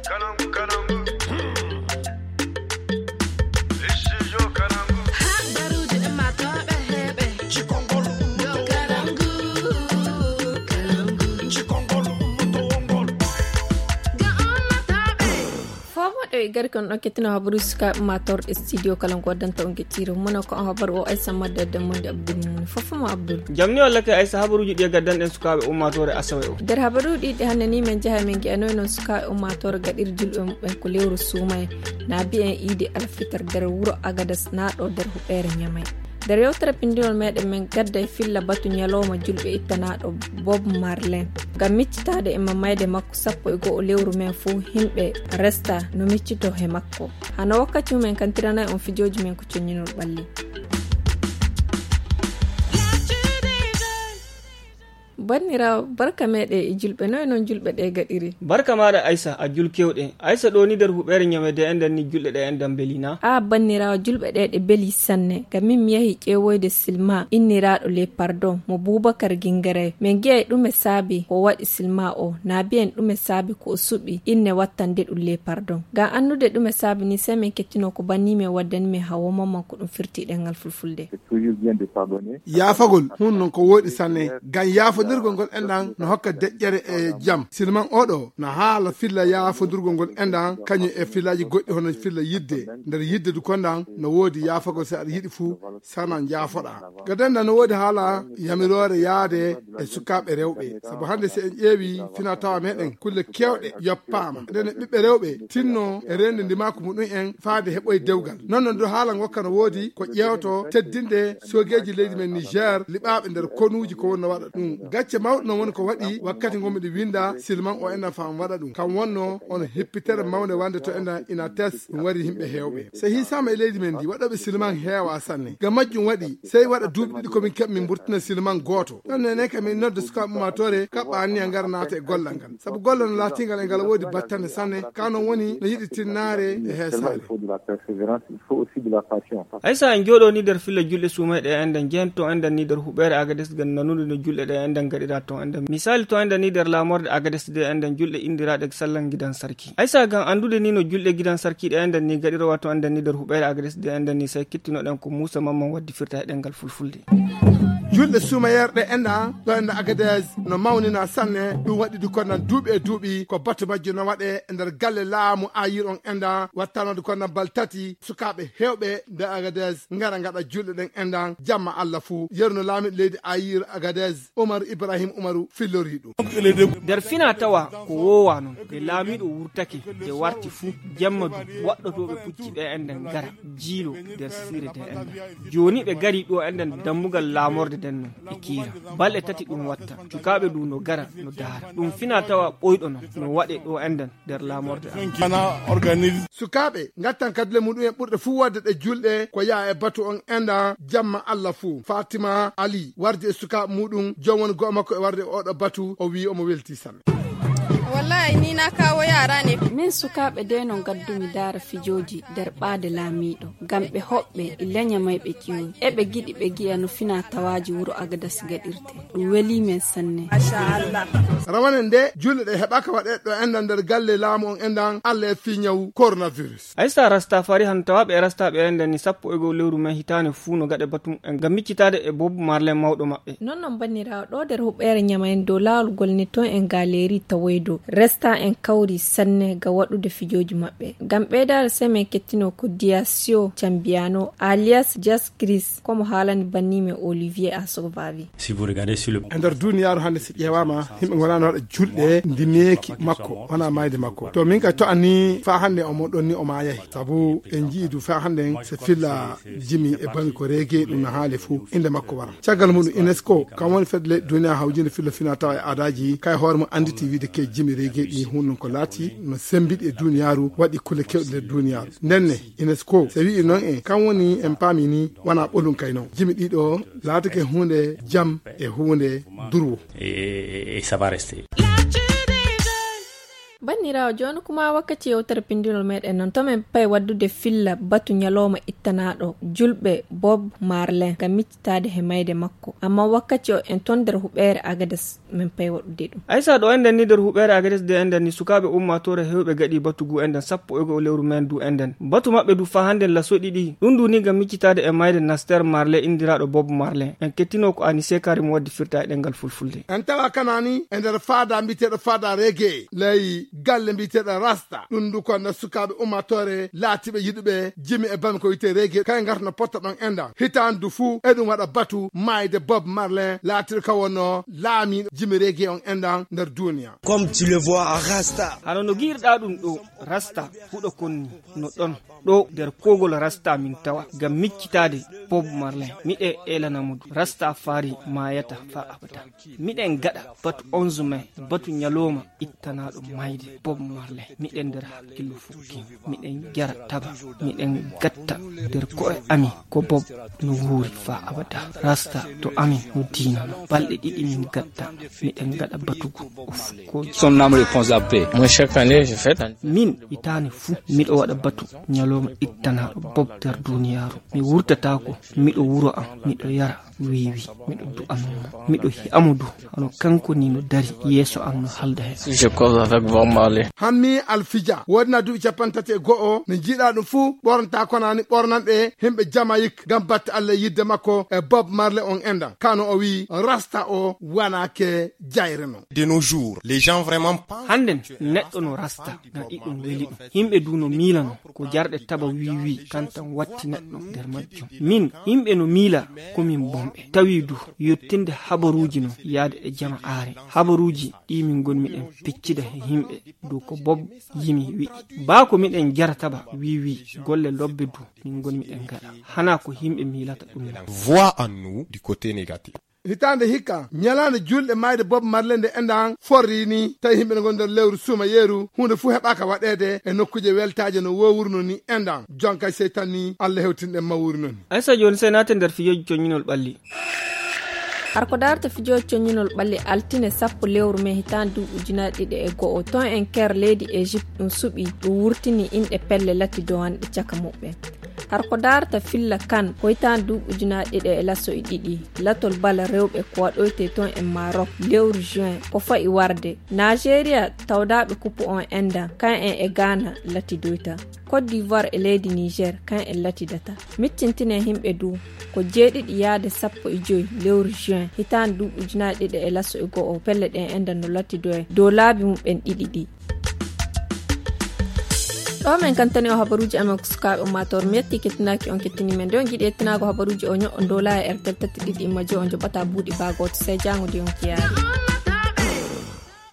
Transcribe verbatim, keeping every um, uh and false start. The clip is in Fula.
Habaruuji ɗin maa tooɓe heeɓe. Cikongol ummoto wongol. Cikongol ummoto wongol. Ga ummatooɓe. Foomoɗo e gari kon ɗon kettino habaruuji sukaaɓe ummatorɗe studio kala ngo waddanta on gettiire. Mono ko on habaru o Aysa Madda Demmonde Abdul Mumuni. Fofomo Abdul. Jamni walla ke Aysa, habaruuji ɗi e gaddanɗen sukaaɓe ummatore Asawe o. Nder habaruuji ɗi hannde ni men jaha men ngi'anoy non sukaaɓe ummatore gaɗir julɓe muɓɓen ko lewru suumaye. Na bi'en iidi alfitar nder wuro Agadas na ɗo nder huɓeere Ñamay. Nder yewtere pinndinol meɗen men gadda e filla batu ñalawma julɓe ittanaaɗo Bob Marley. Ngam miccitaade e mamayde makko sappo e go'o lewru men fuu himɓe resta no miccito he makko. Hano wakkati mumen kan tiranay on fijooji men ko conñinol ɓalli. Banniraawo, barka meɗe e julɓe, noy non julɓe ɗe gaɗiri? Barka maɗa Aysa, a jul kewɗe. Aysa, ɗo ni nder huɓeere Ñamay de enɗan ni julɗe ɗe enɗan beli na? A banniraawo, julɓe ɗe ɗe beli sanne. Ngam min mi yahi ƴeewoyde Silma inniraaɗo Le Pardon mo Bubakar Gingaray. Min ngi'ay ɗume saabi ko waɗi Silma o, na biyen ɗume saabi ko o suɓi inne wattande ɗum Le Pardon. Ngam anndude ɗume saabi ni, sey min kettino ko banni men waddani men Hawa Mamman ko ɗum firti ɗemngal Fulfulde. Yaafagol hun non ko wooɗi sanne, ngam yaafondirgol ngol enɗan no hokka deƴƴere e jam. Silman oɗo no haala filla yaafondirgol ngol enɗan, kañum e fillaaji goɗɗi hono filla yidde. Nder yidde du konɗan no woodi yaafagol, si aɗa yiɗi fuu sana njaafoɗa. Gadanɗan no woodi haala yamiroore yaade e sukaaɓe rewɓe. Sabu hannde si en ƴeewi fina tawa meɗen, kulle kewɗe yoppaama. Nden e ɓiɓɓe rewɓe tinno e reende ndimaaku muɗum en faade heɓoy dewgal. Non non du haala ngokka no woodi ko ƴeewto teddinde soogeeji leydi men Niger liɓaaɓe nder konuuji ko wonno waɗa ɗum. Gacce mawɗe non woni ko waɗi wakkati ngo miɗo winda Silman o enɗan faa mi waɗa ɗum. Kam wonno on hippitere mawnde wande to enɗan ina tes ɗum wari yimɓe heewɓe. So hiisaama e leydi men ndi, waɗooɓe Silman heewaa sanne. Ngam majjum waɗi, sey waɗa duuɓi ɗiɗi ko min keɓ min mburtina Silman gooto. Ɗon nene kam min nodda sukaaɓe ummaatoore kaɓɓa anniya ngara naata e gollal ngal. Sabu gollal no laatingal e ngal woodi battane sanne, ka non woni no yiɗi tinnaare e heesaare. Aysa, en jooɗo ni nder filla julɗe suumayɗe e enɗan, jehen to enɗan ni nder huɓeere Agades ngam nanude no julɗe ɗe enɗan gaɗira to enɗan. Misali to enɗan ni nder laamorde Agades de enɗan julɗe indiraaɗe sallan gidan sarki. Aysa, ngam anndude ni no julɗe gidan sarki ɗe enɗan ni gaɗira wato enɗan ni nder huɓeere Agades de enɗan ni sey kettinoɗen ko Muusa Mamman waddi firta e ɗemngal Fulfulde. Julɗe suumayeerɗe enɗan ɗo enɗan Agades no mawnina sanne, ɗum waɗi du konɗan duuɓi e duuɓi ko batu majjo no waɗe e nder galle laamu ayir on enɗan wattanoode konɗan bal tati sukaaɓe heewɓe nder Agades ngara ngaɗa julɗe ɗen enɗan jamma Allah fuu. Yeru no laamiiɗo leydi ayir Agades Umar Ibrahim Umaru fillori ɗum. Nder fina tawa ko woowa non, nde laamiiɗo wurtake, nde warti fuu, jemma du, waɗɗotooɓe pucci ɓe enɗan ngara, jiilo nder siire de enɗan. Jooni ɓe gari ɗo enɗan dammugal laamorde den non, ɓe kiira. Balɗe tati ɗum watta, cukaaɓe du no gara, no daara. Ɗum fina tawa ɓoyɗo non, no waɗe ɗo enɗan nder laamorde an. Sukaaɓe ngattan kadule muɗum en ɓurɗe fuu waɗde ɗe julɗe ko yaa e batu on enɗan jamma Allah fuu. Fatima Ali wardi e sukaaɓe muɗum, joom woni go'o makko e warde e oɗo batu, o wi'i omo welti sanne. Wallahi ni na kawo yara ne. Min sukaaɓe de no ngaddu mi daara fijooji nder ɓaade laamiiɗo, ngam ɓe hoɓɓe e leña may ɓe ƴeewi. Eɓe giɗi ɓe gi'a no fina tawaaji wuro Agadas gaɗirte. Ɗum weli men sanne. Rawane nde julɗe ɗe heɓaka waɗe ɗo enɗan nder galle laamu on enɗan Allah e fii ñawu coronavirus. Aysa, Rastafari han tawaaɓe e rastaaɓe enɗan ni sappo e go'o lewru men hitaande fuu no gaɗe batu en ngam miccitaade e Bob Marley mawɗo maɓɓe. Non non banniraawo, ɗo nder huɓeere Ñamay en dow laawol ngol ni ton en galeri tawoydo resta en kawri sanne ga waɗude fijooji maɓɓe. Ngam ɓeydaade sey men kettino ko Diasio Cambiano alias Jas Chris, komo haalani banni men Olivier Asovavi. E nder duniyaaru hannde, si ƴeewaama, yimɓe ngonaano waɗa julɗe ndimeeki makko, wona maayde makko. To min kay to anni faa hannde omo ɗon ni o maayahi. Sabu en njii du faa hannde se filla jimi e bangi ko reege ɗum no haali fuu, innde makko wara. Caggal muɗum UNESCO, kam woni fedde leyɗe duniya hawjinde filla fina tawa e aadaaji, kay hoore mum annditi wiide ke jimi reege ɗi hunnon ko laati no sembiɗi e duniyaaru, waɗi kulle kewɗe nder duniyaaru. Ndenne, UNESCO, so wi'i noon en, kam woni en paami ni, wona ɓolum kay noon. Jimi ɗiɗo laatake huunde jam e huunde durwo. E, e, e ça va rester. Banniraawo, jooni kuma wakkati yewtere pinndinol meɗen non. To men pay waddude filla batu ñalooma ittanaaɗo julɓe Bob Marley ngam miccitaade he mayde makko. Amma wakkati o en ton nder huɓeere Agades, men pay waɗude ɗum. Aysa, ɗo enɗen ni nder huɓeere Agades de enɗen ni sukaaɓe ummaatoore heewɓe gaɗi batu gu enɗen sappo e go'o lewru men du enɗen. Batu maɓɓe du faa hannden laso ɗiɗi. Ɗum du ni ngam miccitaade e mayde Naster Marley inndiraaɗo Bob Marley. En kettino ko Anise Karim waddi firta e ɗemngal fulfulde. En tawa kanaani e nder faada mbiyeteeɗo faada reggae ley galle mbiyeteeɗo Rasta. Ɗum du ko na sukaaɓe ummaatoore laatiiɓe yiɗuɓe jimi e bami ko wiyetee reggae. Kay ngarta no potta ɗon enɗan. Hitaande du fuu eɗum waɗa batu maayde Bob Marley laatiiɗo ka wonno laamiiɗo jimi reggae on enɗan nder duniya. Comme tu le vois, Rasta. Hano no giirɗaa ɗum ɗo, Rasta huɗo kon ni no ɗon. Ɗo nder koogol Rasta min tawa ngam miccitaade Bob Marley. Miɗe eelana mo du. Rasta faari maayata faa abada. Miɗen gaɗa batu onze mai, batu ñalooma ittanaaɗo mayde Bob Marley. Miɗen nder hakkillo fukki. Miɗen jara taba. Miɗen gatta nder ko'e amin ko Bob no wuuri faa abada. Rasta to amin no diina no. Balɗe ɗiɗi min gatta. Miɗen gaɗa batugu. Son âme repose en paix. Moi, chaque année, je fête. Min hitaande fuu miɗo waɗa batu ñalooma ittanaaɗo Bob nder duniyaaru. Mi wurtataako, miɗo wuro am, miɗo yara wiiwi, miɗo du'anoo mo. Miɗo hi'a mo du, hano kanko ni no dari yeeso am no halda he. Je cause avec Bob Marley. Hammi Alfija, woodina duuɓi capanɗe tati e go'o, no jiiɗaa ɗum fuu, ɓornata konaani ɓornanɗe himɓe Jamayik ngam batte Alla e yidde makko e Bob Marley on enɗan. Kano o wi'i, Rasta o wanaake jayre non. De nos jours, les gens vraiment pensent. Hannden neɗɗo no Rasta ngam iɗum weli ɗum. Yimɓe du no miilano ko jarɗe taba wiiwi kan tan watti neɗɗo nder majjum. Min, yimɓe no miila ko min bomɓe. Tawi du yottinde habaruuji non yaade e jama aare. Habaruuji ɗi min ngonmi ɗen peccida he yimɓe du ko Bob yimi wi'i. Baa ko miɗen jara taba wiiwi, golle lobbe du min ngonmi ɗen gaɗa. Hana ko yimɓe miilata ɗum non. Voix en nous du côté négatif. Hitaande hikka, ñalaande juulɗe maayde Bob Marley nde enɗan forri ni, tawi yimɓe no ngoni nder lewru suumayeeru, huunde fuu heɓaaka waɗeede e nokkuuje weltaaje no woowruno ni enɗan. Jonka seytan ni, Alla hewtin ɗen mawuri non. Aysa, jooni sey naaten nder fijooji coññinol ɓalli. Har ko daarta fijooji coññinol ɓalli, altine sappo lewru mee hitaande duuɓi ujunaaje ɗiɗi e go'o, ton en ker leydi Egypte ɗum suɓi, ɗum wurtini inɗe pelle lati dowanɗe caka muɓɓen. Har ko daarta filla kan, ko hitaande duuɓi ujunaaje ɗiɗi e laso e ɗiɗi, latol bala rewɓe ko waɗoytee ton e Maroc lewru juin, ko fa'i warde. Nigeria, tawdaaɓe kupu on enɗan, kan en e Ghana latidoyta. Côte d'Ivoire e leydi Niger, kan en latidata. Miccintinen yimɓe du, ko jeeɗiɗi yaade sappo e joy lewru juin, hitaande duuɓi ujunaaje ɗiɗi e laso e go'o, pelle ɗen enɗan no latidoye dow laabi muɓɓen ɗiɗi ɗi. Ɗo men kantani o habaruuji amen ko sukaaɓe ummaatoore. Mi yetti kettinaaki on kettini men. Nde on jiɗi yettinaago habaruuji o ño'o ndola e R T L tati ɗiɗi imma joy on joɓata buuɗi baa gooto. Sey jaango nde on kiyaari.